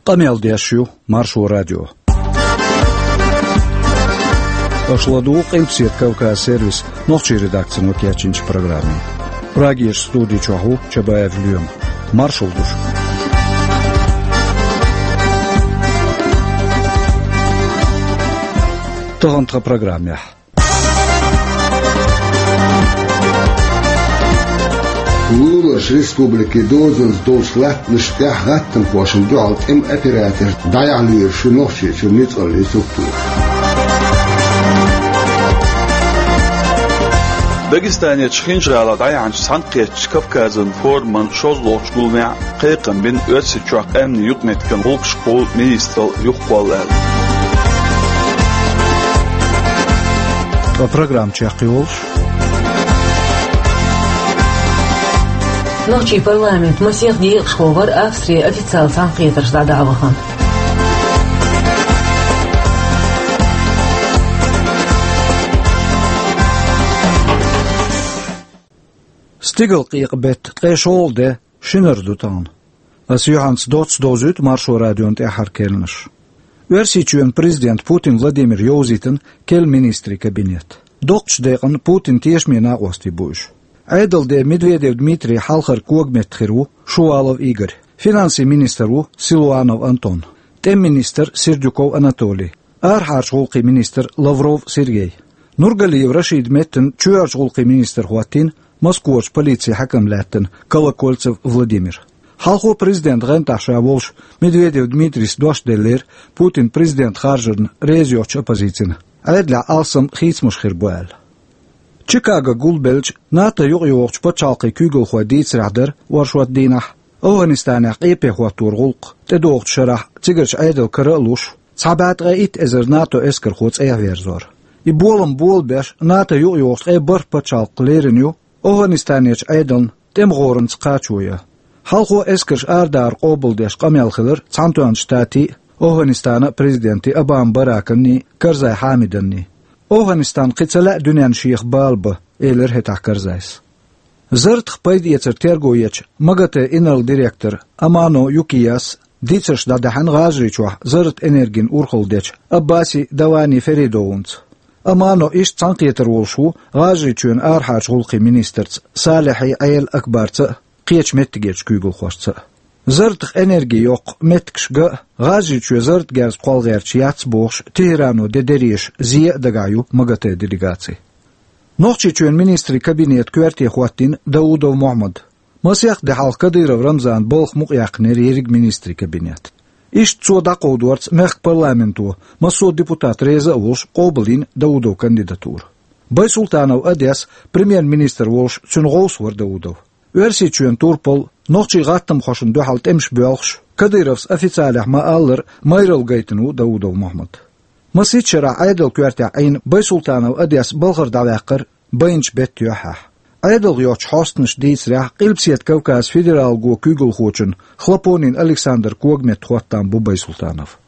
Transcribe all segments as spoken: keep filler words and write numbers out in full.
Къамел деш ю Маршо радио. Аша ладугӀу Къилбаседа Кавказ сервисан нохчийн редакцино кечйинчу программе. Прагерчу студи чохь ву Чабаев Лоьма. Маршалла ду шуьга. Тахана тхан программехь. Луларчу республикин дозанца долчу латтанашна тӀехь гӀаттамхошна дуьхьал тӀеман операцеш дӀаяхьа лоьруш ю Нохчийчуьра ницкъаллийн структура. Дагестанерчу Хинжа-ГӀалахь дӀаяьхьначу цхьаьнакхеттачу Кавказан форуман шозлагӀчу гуламехь кхайкхам бина Оьрсийчохь къаьмнийн юкъаметтиган гӀуллакхашкахула министралла юхакхолла аьлла. Ткъа программа чекхйолуш. Нохчийн парламент масех декъашхо вара Австрин официалан цхьаьнакхетарш дӀадахьа вахана. Стигалкъекъа беттан ткъе шолгӀа де, шинара ду тахана. Ас юьхьанца доцца довзуьйту Маршо радион тӀаьххьара керланаш. Оьрсийчоьнан президента Путин Владимира йовзийтина керла министрийн кабинет. Доккхачу декъана Путинан тешаме накъостий бу уьш. Ӏедалан де Медведев Дмитрий хьалхара когаметта хир ву Шувалов Игорь. Финансийн министр ву Силуанов Антон. ТӀеман министр Сердюков Анатолий. Арахьарчу гӀуллакхийн министр Лавров Сергей. Нургалиев Рашидан меттана чоьхьарчу гӀуллакхийн министр хӀоттийна Москварчу полицин хьаькам лаьттина Колокольцев Владимир. Хьалхо президентан гӀантахь ша волуш Медведев Дмитрийс дош деллера Путинан президент харжарна реза йоцучу оппозицина, Ӏедалехь алсам хийцамаш хир бу аьлла. Чикагога гулбеллачу НАТО юкъайогӀучу пачхьалкхийн куьйгалхойн дийцарехь дара оршот дийнахь, АфгӀанистанехь къепе хӀотторан гӀуллакх тӀедогӀучу шарахь цигарчу Ӏедалан кара а луш, цхьа бӀе ткъе итт эзар НАТО эскархо цӀа а верзор. И болам болабеш, НАТО юкъайогӀучу ткъе бархӀ пачхьалкх лерина ю АфгӀанистанерчу Ӏедална тӀеман гӀоранца кхачо ян. Хьалхо эскарш арадахар къобалдеш къамел хилира Цхьаьнатоьхначу Штатийн а, АфгӀанистанан а президентийн Обама Бараканний а, Карзай Хьамиданний а. АфгӀанистан кхин ца лаьа дуьненна шех бала бан, элира хӀетахь Карзайс. Зарратах пайдаэцар терго ечу МАГАТЭ инарла директор Амано Юкияс дийцарш дӀадаьхьна ГӀажарийчохь зарратан энергин урхалла дечу Аббаси Давани Феридовнца. Амано иштта цхьаьнакхетар волуш ву ГӀажарийчоьнан арахьарчу гӀуллакхийн министрца Салехьи Ӏела Акбарца а, кхечу меттигерчу куьйгалхошца а. Зарратах энерги йоккху меттигаш ган а, ГӀажарийчоь зарратан герз кхолла гӀерташ яц бохуш, Тегерано де дерриге а зе а дагахь ю МАГАТЭ делегаци. Нохчийчоьнан министрийн кабинетан коьрте хӀоттийна Даудов Мохьмад. Масех де хьалха Кадыров Рамзана балха мукъаяьккхинера ерриг министрийн кабинет. Иштта цо дӀакховдорца мехкан парламенто, массо а депутат реза а волуш, къобалйина Даудовн кандидатура. Байсултанов Одес премьер-министр волуш цуьнан гӀовс вара Даудов. Оьрсийчоьнан турпал, нохчийн гӀаттамхошна дуьхьал тӀемаш боьлхуш, Кадыровс официалехь ма-аллара майралла гайтина ву Даудов Мохьмад. Масийтта шарахь Ӏедалан коьртехь Ӏийна Байсултанов Одес балхара дӀаваьккхира байначу беттан юьххьехь. Ӏедалх йоцчу хьостанаша дийцарехь, Къилбаседа Кавказан федералан куьйгалхочун Хлопонин Александран когаметта хӀоттам бу Байсултанов.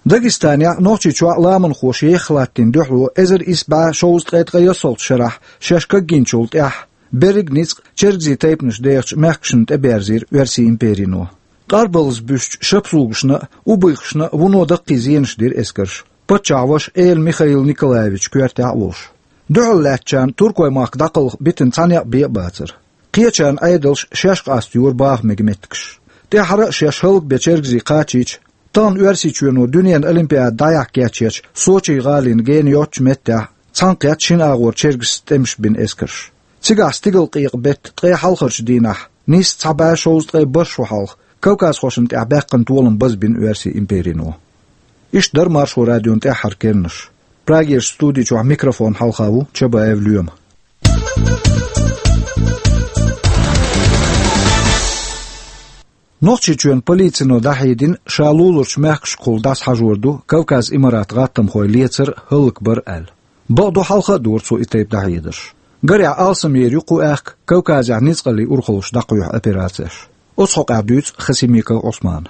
Дагестанехь а, Нохчийчохь а ламанхоша ехха латтийна дуьхьало эзар исс бӀе шовзткъе ткъе ялхалгӀачу шарахь шаьш кагйинчул тӀаьхьа берриг ницкъ чергазийн тайпанаш дехачу мехкашна тӀеберзийра Оьрсийн империно. Къарбаллаза буьсучу шапсугашна а, убыхашна а вуно даккхий зенаш дира эскарша, паччахьан ваша Эла Михаил Николаевичан коьртехь а волуш. Дуьхьал лаьттачарна туркойн махка дӀакхалха битина цхьа некъ бен а бацара. Кхечарна Ӏедалша шаьш къастайора баха мега меттигаш. ТӀаьххьара а шаьш хӀаллакбен чергазий кхачийча, тахана Оьрсийчоьно дуьненан олимпиада дӀаяхьа кечъечу Сочи гӀалин гена йоцчу меттехь цхьаьнакхетта шина агӀор чергазийн тӀемаш бина эскарш. Цигахь стигалкъекъа беттан ткъе хьалхарчу дийнахь, нийсса цхьа бӀе шовзткъе бархӀ шо хьалха, кавказхошна тӀехь баьккхина толам базбина Оьрсийн империно. Иштта дара Маршо радион тӀаьххьара керланаш. Прагерчу студи чохь микрофон хьалха ву Чабаев Лоьма. Нохчийчоьнан полицино дӀахьедина, ша луларчу мехкашкахула дӀасахьажор ду Кавказ Имарат гӀаттамхой лецар а, хӀаллакбар а аьлла. Бакъду, хьалха а дора цо и тайпа дӀахьедарш. Гарехь, алсамъер ю кху аьхка Кавказехь ницкъаллийн урхаллаш дӀакхоьхьу операцеш. Оцу хьокъехь дуьйцу Хасимиков Ӏусмана.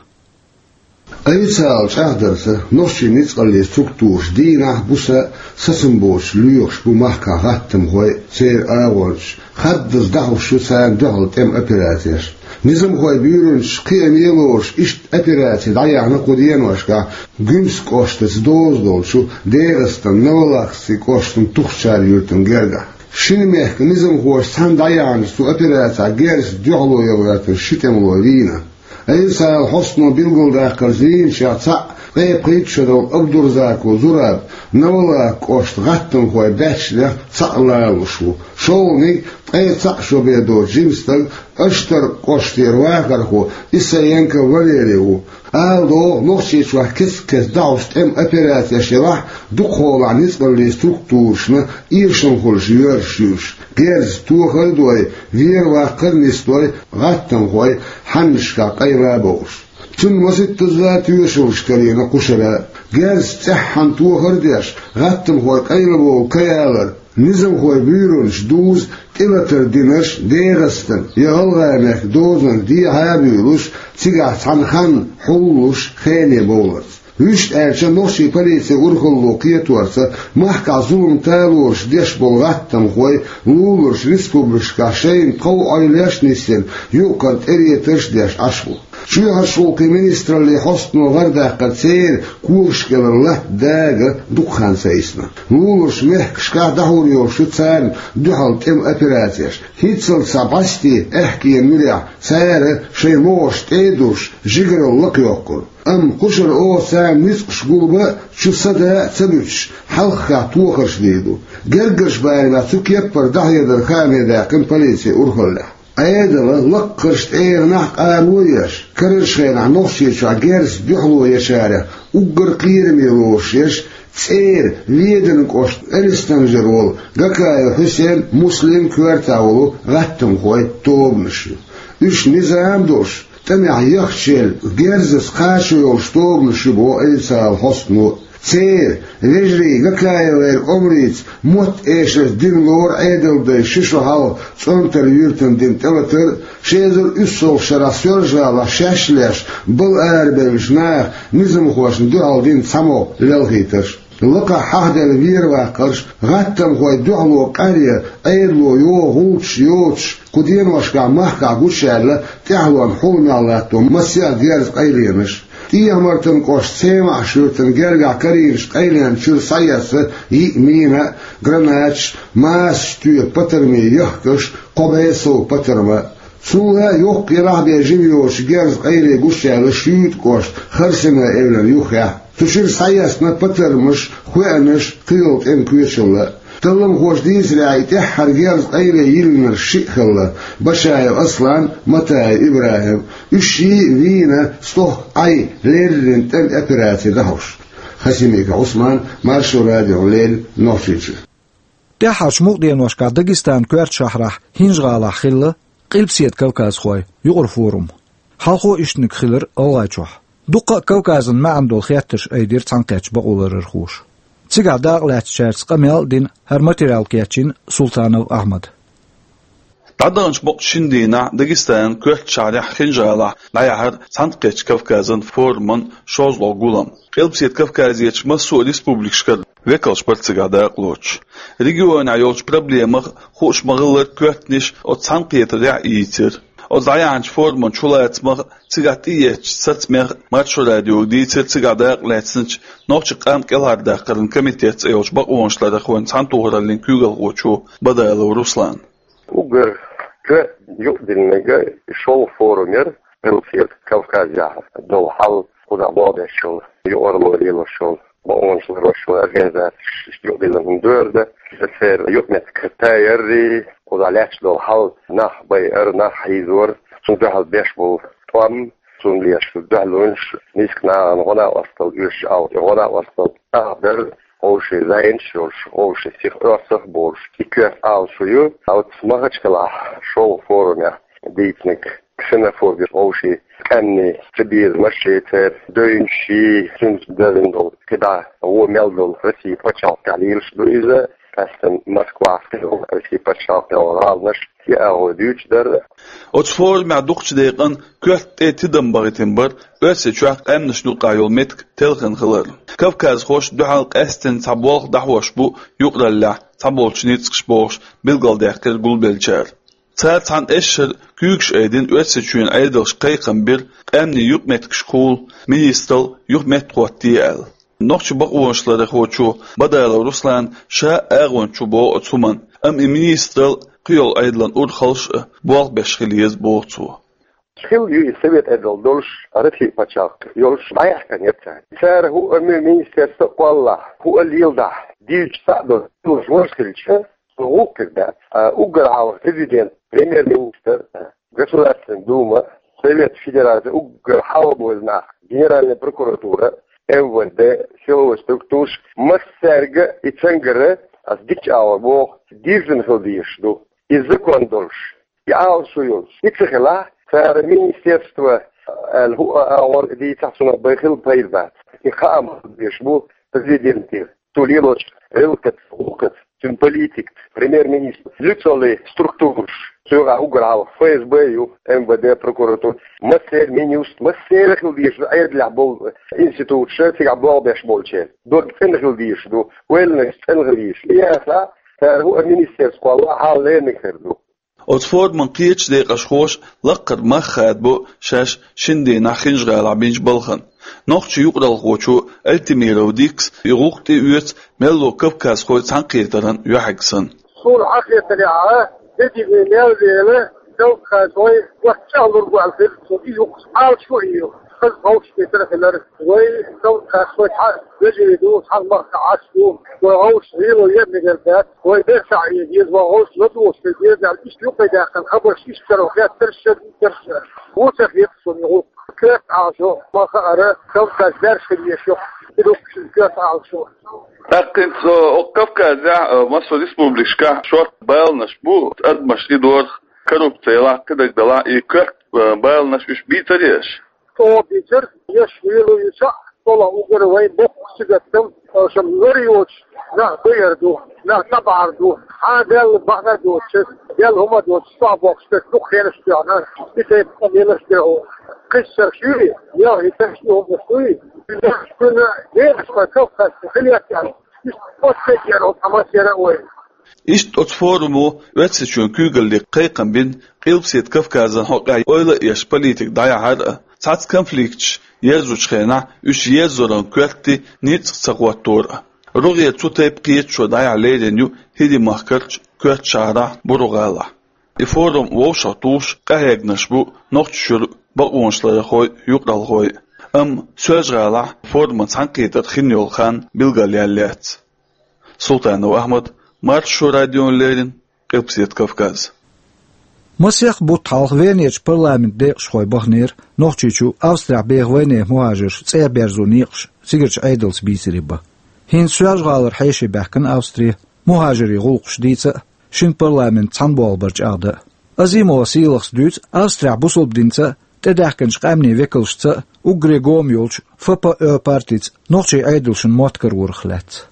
Официалан чӀагӀдарца, нохчийн ницкъаллийн структураш дийнахь а, буса а сацам боцуш лоьхуш бу махкахь гӀаттамхой а, церан агӀончаш а, хаддаза дӀахьош ю царна дуьхьал тӀеман операцеш. Низамхой буьйранаш кхиаме лоруш иштта операци дӀаяьхьна кху деношкахь Гуьмсан кӀоштаца доза долчу ДегӀастан Новолахский кӀоштан Тухчар юьртан гергахь. Шина мехкан низамхоша цхьаьна дӀаяьхьначу цу операцехь герзаца дуьхьало ян гӀоьртина ши тӀемало вийна. Айса-Ӏела хьостано билгалдаккхарца, вийначех цхьаъ ткъе пхийтта шо долу Абдурзаков Зураб, Новолахский кӀоштан гӀаттамхойн баьччанех цхьаъ ларалуш ву. ШолгӀаниг ткъе цхьаъ шо бен доцу жима стаг, Аштаркан кӀоштара вахархо Исаенко Валерий ву. Ала догӀу, Нохчийчохь кест-кеста дӀахьош тӀеман операцеш елахь, дукхахьолахь ницкъаллийн структурашна эшам хуьлуш йоьрзуш ю уьш, герзаца тохар а дой, вер-ваккхар а нисдой, гӀаттамхой хьаннашкахь къайла а бовлуш. Цунна масийттазза тоьшаллаш карийна кху шарахь. Герзаца цӀеххьана тохар а деш, гӀаттамхой къайлабовла ка ялар, низамхойн буьйранаш дуза тӀелатар динарш ДегӀастан я ГӀалгӀайн мехкан дозанна дехьа а буьйлуш, цигахь цхьана ханна хьуллуш, хене бовларца. Вуьшта аьлча, нохчийн полицин урхалло кхеторца, махкахь зулам талораш деш болу гӀаттамхой луларчу республикашкахь шайна тхов-Ӏойллеш а нисдина, юкъара тӀеретарш а деш Ӏаш бу. Чоьхьарчу гӀуллакхийн министраллин хьостано гӀарадаккхарца, церан когашкалара латта дага дукха хан ца йисна. Луларчу мехкашкахь дӀахьур йолуш ю царна дуьхьал тӀеман операцеш. ХӀинццалц схьа бӀаьсте аьхкенан муьрехь цара шайн могӀарш тӀе а дуьсуш, жигаралла лакхайоккхур. Амма кху шарахь оха царна ницкъаш гулбан а, чу садан а ца буьтуш, хьалххе тохарш дийр ду. Гергарчу барамехь цу кеппара дӀахьедар хааме даьккхина полицин урхаллехь. Ӏедалан лакхарчу тӀегӀанехь къаро а еш, карарчу хенахь Нохчийчохь герзаца дуьхьало ечарех уггар кхераме лоруш ерш ЦӀера Веданан кӀоштан Элистанжара волу Гакаев Хьусен, Муслим коьртехь волу гӀаттамхойн тобанаш ю. Уьш низам а долуш, тӀамехь яхча елла, герзаца кхачо йолуш тобанаш ю боху Айса-Ӏела хьостано. Церан, вежарий Гакаевгара омрица, мотт-эшарца дина лору Ӏедалдайн ши шо хьалха ЦӀонтар-Юьртана дина тӀелатар а, ши эзар уьссалгӀачу шарахь Соьлжа-ГӀалахь шаьш леш, бала арабевллачу наха низамхошна дуьхьал дина цхьамогӀа лелхийтарш. Лакхахь хьахделла вер-ваккхарш, гӀаттамхойн дуьхьало къаръян Ӏедало йогӀу гӀуллакхаш йоцуш, кху деношкахь махкахь гучуяьлла тӀаьхьалонна хьуламехь латто массо а герзан къайленаш. ТӀехьа-Мартанан кӀоштан Семахь-Шуьртан гергахь карийначу къайленан чуьра схьаэцна йиъ мина а, гранаташ а, массачу тоьпан патармийн яхкаш а, кхо бӀе сов патарма а. Цул а йоккха елахь бен жима йоцучу герзан къайле гучуяьлла Шуьйтан кӀоштан Харсина эвлан юххехь. Цу чуьра схьаэцна патармаш, хоьанаш, кхин йолу тӀеман коьчалла а. Талламхоша дийцарехь, и тӀаьххьара герзан къайле йиллинарш шиъ хилла: Башаев Аслан, Матаев ИбрахӀим. Уьш шиъ а вийна, стохка Ӏай леррина тӀеман операци дӀахьош. Хасимиков Ӏусман, Маршо радиона леррина, Нохчийчуьра. ТӀаьххьарчу мукъа деношкахь Дагестанан коьртачу шахьарахь ХӀинжа-ГӀалахь хилла Къилбаседа кавказхойн юкъара форум. Хьалхо иштаниг хилира ГӀалгӀайчохь. Дуккха а Кавказан маьӀна долу хеттарш айдира цхьаьнакхеттачу бакъоларъярхоша. Цигахь дакъалаьцначаьрца къамел а дина, хӀара материал кечйина Султанов Ахьмада. ДӀадаханчу бакъ шина дийнахь Дагестанан коьртачу шахьарахь ХӀинжа-ГӀалахь дӀаяьхьира Цхьаьнакхеттачу Кавказан форуман шозлагӀа гулам. Къилбаседа Кавказерчу массо а республикашкара векалш бара цигахь дакъалоцуш. Регионехь йолчу проблемах а, хууш ма-хиллара, коьртанаш оцу цхьаьнакхетарехь а йийцира. Оцу дӀаяьхьначу форуман чулацамах а, цигахь тӀеэцначу сацамех а Маршо радиога дийцира цигахь дакъалаьцначу Нохчийн къам кӀелхьардаккхаран комитет цӀе йолчу бакъонашларъярхойн цхьаьнатохараллин куьйгалхочо Бадалов Руслана. Уггар коьртаниг юкъадиллинарг шолгӀа форум яра, Къилбаседа Кавказехь долу хьал, кхузахь болх беш йолу, юкъаралла лелош йолу, бакъонаш ларъеш йолу организацеш юкъадиллина хӀума дара. Иза церан юкъаметтиг тайпа яра, кхузахь лаьтташ долу хьал, нах байар, нах хьийзор, цунна дуьхьал беш болу тӀом, цунна беш дуьхьалонаш, миска нахана гӀо-накъосталла оьшуш, гӀо-накъосталла тӀехь дара, вовшийн зӀенаш йолуш, вовшийн сиха оьрсах а болуш, и коьрта Ӏалашо ю. Оцу Махачкалахь шолгӀа форумехь дийцинарг ксенофобия, вовшийн къаьмнийн цабезамаш а, церан девнаш а, цуьнца дазина долу кхидӀа вон мел долу Россин пачхьалкхехь лелаш ду иза, къаьсттина Москвахь, Россин пачхьалкхехь гӀаланаш, и агӀо дуьйцуш дара. Оцу форумехь дукхачу декъана коьрта тӀе тидам бахийтина бара Оьрсийчохь къаьмнашна юкъахь йолу меттиг телхина хилар. Кавказхоша дуьхьал къаьсттина цхьа болх дӀахьош бу юкъараллехь цхьаболчу ницкъаша бохуш билгалдаьккхира гулбеллачара. Цара цхьана эшшара куьйгаш айдина Оьрсийчоьнан Ӏедалшка кхайкхам бира, къаьмнийн юкъаметтигашкахула министрал юха меттахӀотте аьлла. Нохчийн бакъонашларъярхочо Бадалов Руслана ша агӀонча ву боху оцу хӀуманна, амма и министрал кхыйолу Ӏедалан урхаллаш а болх беш хила еза боху цо. Хилла ю и Совет Ӏедал долуш, Россин пачхьалкх йолуш, дӀаяьхкина яра цара. Цара хӀуъа ми-, министерство а кхоллахь, хӀуъа а леладахь, дийцича цхьаъ долуш хилча, со гӀуллакх хир дац. А уггар хьалха президент, премьер-министр, Государственная Дума, Совет Федерации, уггар хьалха бевза нах, Генеральная прокуратура, МВД, силовой структураш, массаьрга и цуьнгара, ас дикачу агӀор боху, дирзина хила дезаш ду. И закон долуш, и Ӏалашо йолуш, и ца хилахь, цара министерство аьлла хӀуъа агӀор дийцахь, цунах бен хилла пайда бац. И хаам хила дезаш бу президенте, цо лелочу гӀиллакхаца, гӀуллакхаца, цуьнан политикаца, премьер-министр, лицолий структураш, цигахь уггар хьалха ФСБ ю, МВД, прокуратура, массеран, Минюст, массеран хила дезаш ду, Ӏедалехь болу институташ, цигахь болх беш болчеран дог цӀена хила дезаш ду, ойланаш цӀена хила дезаш. И яцахь, цара хӀуъа министерство кхоллахь, хьал леринарг хир ду. Оцу форуман кхечу декъашхоша лаккхара мах хадабо шаьш шина дийнахь Хинжа-ГӀалахь бинчу балхана. Нохчийн юкъаралхочо Альтимиров Дикас и гӀуллакх тӀеоьцу мелло кавказхойн цхьаьнакхетаран юьхьиг санна. Суна хьахетарехь, дерриге мел вела, кавказхой вац чӀагӀлур бу аьлла хир, цо и юкъа Ӏалашо а йо. Хаза вовшахкхетар а хилар. Вай кавказхой цхьа вежарий ду, цхьана махкахь Ӏаш ду. Вай гӀовшаш гӀело яр мегар дац. Вай берсахь а еза, вай гӀовшаш ладугӀуш хир деза аьлла, иштта юкъе даьккхина хабарш иштта каро хеттарш а, дитарш а. Ву ца хеташ суна гӀуллакх. Коьрта Ӏалашо, ма хаара, Кавказ баьржина хир еза ю, и ду-кх шуна коьрта Ӏалашо. ТӀаккха хӀинца, э, окху Кавказехь, э, массо а республикашкахь шортта баланаш бу, адамаш и дорах, коррупци елахь, кхидерг делахь, и коьрта, э, баланаш уьш бийцарий аша? ЧӀогӀа бийцира, еш лело ю цхьаъ, цо лаьа уггар вайн боккха сигатдам, аша лар йоцуш, нах байар ду, нах дӀабахьар ду, хьан Далла бахьана доцуш, Далла хӀума доцуш, чохь боккхуш дерг дукха хенаш тоьхна, и тайпа къамелаш дерг хӀу. Кхиссарш юй, ялхийтарш и хӀуманаш дуй, уьш кхуьнан декъашхой Кавказехь хила яц аьлла, иштта оццайгара хӀума тӀамас яра а вай. Иштта оцу форумо Оьрсийчоьнан куьйгалле кхайкхам бина Къилбаседа Кавказан хьокъехь ойла а еш политика дӀаяхьар а, цхьацца конфликташ ерзучу хенахь уьш ерзоран коьртий ницкъ ца хӀоттор а. РогӀера цу тайпа кхеташо дӀаяхьа лерина ю ХӀирийн махкарчу Коьртачу-ГӀалахь, Буру-ГӀалахь. И форум вовшахтухуш къахьегнарш бу Нохчийчуьра бакъонашларъярхой, юкъаралхой. Амма Соьлжа-ГӀалахь форуман цхьаьнакхетар хин йолу хан билгалъяьлла яц. Султанов Ахьмад, Маршо радиона леррина, Къилбаседа Кавказ. Масех бутт хьалха Венерчу парламентан декъашхой баханера Нохчийчу Австрехь беха вайнехан мухӀажарш цӀа берзо некъаш цигарчу Ӏедалца бийцаре бан. ХӀинца Соьлжа-ГӀалара хьеший баьхкина Австре, мухӀажарийн гӀуллакхаш дийца а, шина парламент цхьана болх бар чӀагӀдан а. Азимова Сийлахьас дуьйцу Австрехь бусалба динца а, тӀедаьхкинчу къаьмнийн векалшца а уггаре гома йолчу Ф П О партица нохчийн Ӏедалшна мотт карорах лаьцна.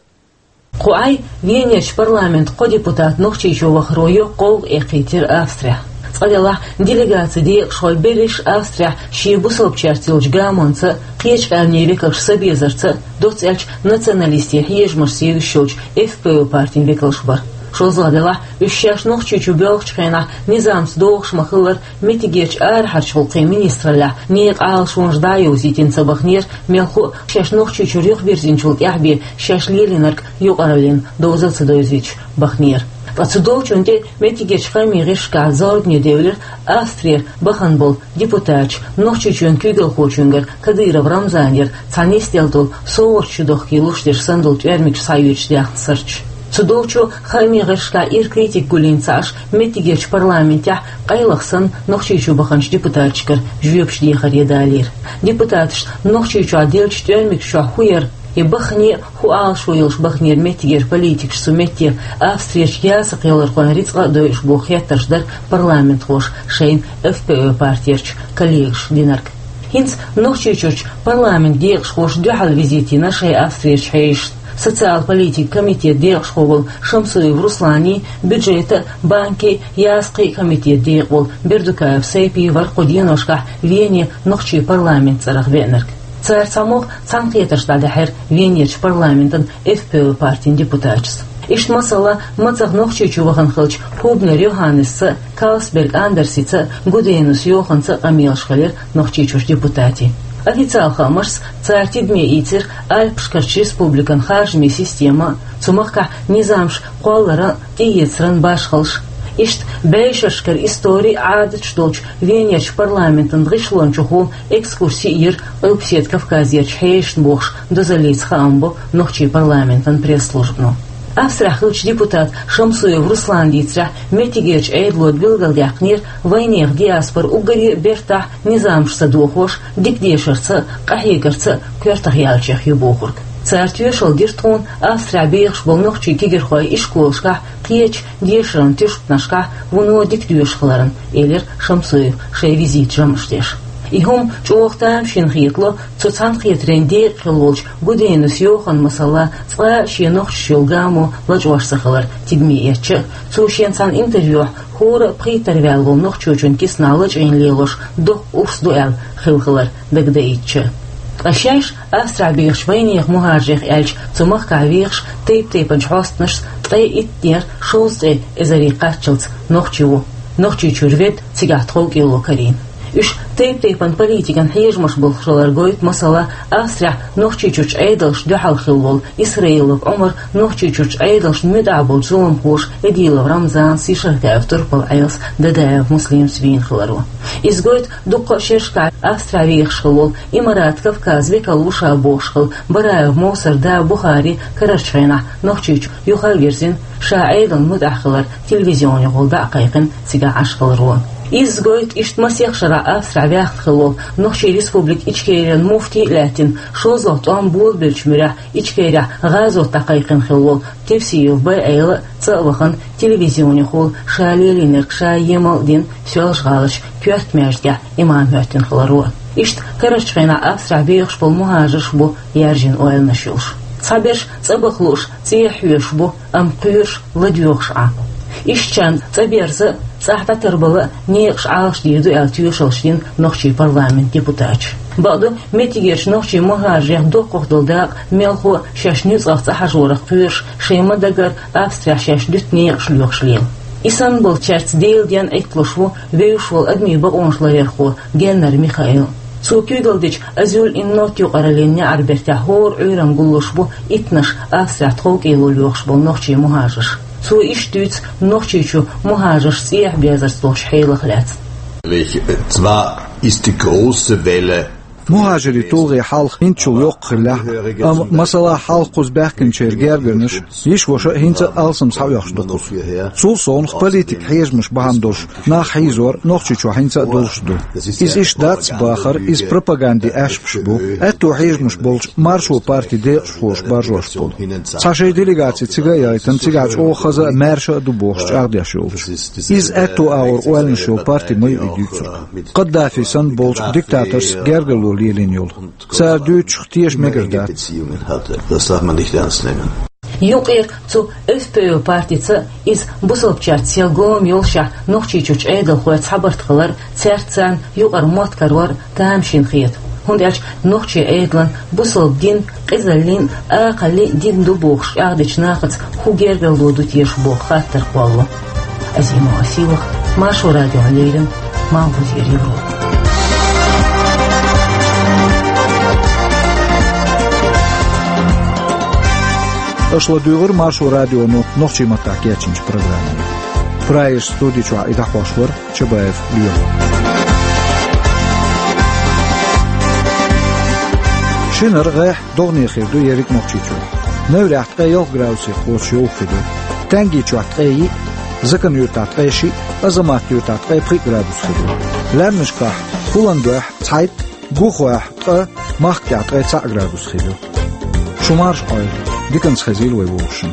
Кху Ӏай Венерчу парламентан кхо депутат Нохчийчу вахаро йоккха гӀовгӀа эккхийтира Австрехь. Цкъа делахь, делегацин декъашхой берриш Австрехь шен бусалбачаьрца йолчу гамонца а, кхечу къаьмнийн векалш са безарца а, доцца аьлча националистийн хьежамашца евзаш йолчу Ф П О партин векалш бара. ШолгӀа делахь, уьш шаьш Нохчийчу боьлхучу хенахь низамца догӀуш ма-хиллара, меттигерчу арахьарчу гӀуллакхийн министраллехь некъан Ӏалашонаш дӀа а йовзийтина ца баханера, мелхо а шаьш Нохчийчуьра юхабирзинчул тӀаьхьа бен шаьш лелийнарг юкъараллин доза а ца девзийташ баханера. Ткъа цу долчунна тӀе меттигерчу хаамийн гӀирсашкахь зорбане девлира Австрера бахана болу депутаташ Нохчийчоьнан куьйгалхочуьнгара Кадыров Рамзанера цхьа нисделла долу совгӀаташ чудохкий луш дерш санна долу тӀоьрмигаш схьайоьдуш даьхна сурташ. Цу долчо хаамийн гӀирсашкахь ира критика гулйина ца Ӏаш, меттигерчу парламентехь къайлаха санна Нохчийчу баханчу депутаташкара жоьпаш дехаре далийра. Депутаташна Нохчийчохь деллачу тӀоьрмигаш чохь хӀун яра, я бахане а хӀун Ӏалашо йолуш баханера меттигера политикаш цу метте, Австрерчу ясакхйолархойн рицкъа а дойуш боху хеттарш дара парламентхоша шайна Ф П О партерчу коллегашна динарг. ХӀинца Нохчийчуьрчу парламентан декъашхоша дуьхьал визит йина шайн Австрерчу хьешашна. Социал политикан комитетан декъашхо волу Шамсуев Русланий, бюджетан а, банкийн а, ясакхийн а комитетан декъа волу Бердукаев Сайпий вара кху деношкахь Вене нохчийн парламентан цӀарах веанарг. Цара цхьамогӀа цхьаьнакхетарш дӀадаьхьира Венерчу парламентан Ф П О партин депутаташца. Иштта, масала, мацах Нохчийчу вахана хиллачу Хубнер Йоханнесца, Калсберг Андерсица, Гуденус Йоханца къамелаш хилира Нохчийчуьрчу депутатийн. Официал хаамашца, цара тидаме ийцира Альпашкарчу республикан харжамийн система, цу махкахь низамаш кхолларан а, тӀеэцаран а башхаллаш. Иштта бӀешерашкара истори а, Ӏадаташ долчу Венерчу парламентан гӀишлончухула экскурси а йира Къилбаседа Кавказерчу хьешашна бохуш дозаллица хаам бо нохчийн парламентан пресс-службано. Австрехь хиллачу депутата Шамсуев Руслана дийцарехь, меттигерчу Ӏедало билгалдаьккхинера вайнехан диаспора уггаре а бертахь, низамаш ца дохош, дика дешарца а, къахьегарца а коьртах яьллачех ю бохург. Цара тоьшалла дира тхуна Австрехь бехаш болу нохчийн кегийрхойн ишколашкахь, кхечу дешаран туьшканашкахь вуно дика доьшуш хиларна, элира Шамсуева шайн визитан жамӀаш деш. И хӀума чӀогӀа тамашийна хетало цу цхьаьнакхетарийн декъа хилла волчу Гуденус Йоханна, масала, цкъа а шен нохчашна йолу гамо лачкъош ца хилар тидаме эцча а, цо шен цхьана интервьюхь хӀора а пхийттара ваьлла волу нохчочун киснахь лачкъийна лелош доккха урс ду аьлла хилла хилар дагадаийтича а. Ткъа шаьш Австрехь бехачу вайнехан мухӀажарех аьлча, цу махкахь вехаш тайп-тайпанчу хьостанашца ткъе иттанера шовзткъе эзаре кхаччалц нохчи ву, Нохчийчуьра ведда, цигахь тховкӀело карийна. Уьш тайп-тайпана политикан хьежамаш болуш хилар гойту, масала, Австрехь Нохчийчуьрчу Ӏедалшна дуьхьал хилла волу Исраилов Ӏумар Нохчийчуьрчу Ӏедалшна муьтӀахь болчу зуламхоша Эдилов Рамзанца, Ишаркаев Турпал-Ӏелас, Дадаев Муслимца вийна хиларо. Иза гойту дуккха а шерашкахь Австрехь вехаш хилла волу Имарат Кавказ векал ву ша бохуш хилла Бараев Мовсар да Бухари карарчу хенахь Нохчийчу юхавирзина, ша Ӏедална муьтӀахь хилар телевизионехула дӀа а кхайкхина, цигахь Ӏаш хиларо. Изза гойту иштта масех шарахь Австрехь ваьхна хилла волу Нохчийн Республика Ичкерин муфти а лаьттина, шозлагӀа тӀом болабеллачу муьрехь Ичкерехь гӀазот дӀакхайкхина хилла волу Тевсиев Б-Ӏела а цӀа а вахана, телевизионехула ша лелийнарг ша емал а дина, Соьлжа-ГӀаларчу коьрта маьждигехь имам хӀоьттина хиларо. Иштта карарчу хенахь Австрехь бехаш болу мухӀажарш бу яьржина ойланаш йолуш. Цхьаберш цӀа баха лууш, цӀехьа хьоьжуш бу, амма кхоьруш ладоьгӀуш Ӏа. Ишттачарна цӀа берза а, цӀахь дӀатарбала а некъаш Ӏалашдийр ду аьлла тоьшаллаш дина нохчийн парламентан депутаташа. Бакъду, меттигерчу нохчийн мухӀажарех доккхах долу дакъа мелхо а шаьш нуьцкъах цӀа хьажорах кхоьруш, шайн ма-дагара Австрехь шаьш дуьту некъаш лоьхуш лела. И санна болчаьрца Делан денна Ӏитталуш ву вевзаш волу адамийн бакъонаш ларъярхо Геннер Михаил. Цо куьйгалла дечу «Азюль ин нот» юкъараллин неӀарбертехь хӀора Ӏуьйранна гуллуш бу иттанаш Австрехь тховкӀело лоьхуш болу нохчийн мухӀажарш. Цо иштта дуьйцу Нохчийчу мухӀажарш цӀехьа безарца долчу хьелах лаьцна. Zwar ist die große Welle МухӀажирийн тулгӀе хьалха хӀинцачул йоккха хиллехь а, амма, масала, хьалха кхуза баьхкинчеран гергарнаш, йиша-ваша а хӀинца а алсам схьаоьхуш ду кхуза. Цул совнаха политикан хьежамаш бахьана долуш нах хьийзор Нохчийчохь хӀинца а долуш ду. Иза иштта дац бахар, иза пропаганди аьшпаш бу. Аьтту хьежамаш болчу Маршо партин декъашхоша баржош болу. Цхьа шайн делегаци цига а яйтина, цигахь чӀогӀа хаза а, маьрша а ду бохуш чӀагӀдеш йолчу. Иза аьтту агӀор ойланаш йолу парти ма ю и дуьйцург. Каддафи санна болчу диктаторца гергарло лелийна йолу. Цара дуьйцучух теша мегар дац. Юкъера цу ФПО партица, иза бусалбачаьрца сел гома йолушехь, Нохчийчуьрчу Ӏедалхой цхьабарт хилар, цаьрца царна юкъара мотт карор тамашийна хета. ХӀунда аьлча нохчийн Ӏедалан бусалба дин къизаллин а, акхаллин а дин ду бохуш чӀагӀдечу нахаца хӀун гергарло ду теша боху хаттар кхоллало. Азимова Силах, Маршо радиона леррина, Малхбузера Европа. Аша ладуьйгӀира Маршо радионо нохчийн маттахь кечйинчу программе. Прагерчу студи чохь и дӀахьош вара Чабаев Лоьма. Шинара гӀеххьа догӀане хир ду ерриг Нохчийчохь. Неврехь ткъе ялх градусе кхочуш йовха хир ю. Тенги чохь ткъе йиъ, Закан-Юьртахь ткъе шиъ, Азамат-Юьртахь ткъе пхиъ градус хир ю. Лаьмнашкахь, Пуландойхь цхьайтта, Гухойхь ткъа, Махкахь ткъе цхьаъ градус хир ю. Шу марша Ӏойла, диканца хезийла вай вовшашна.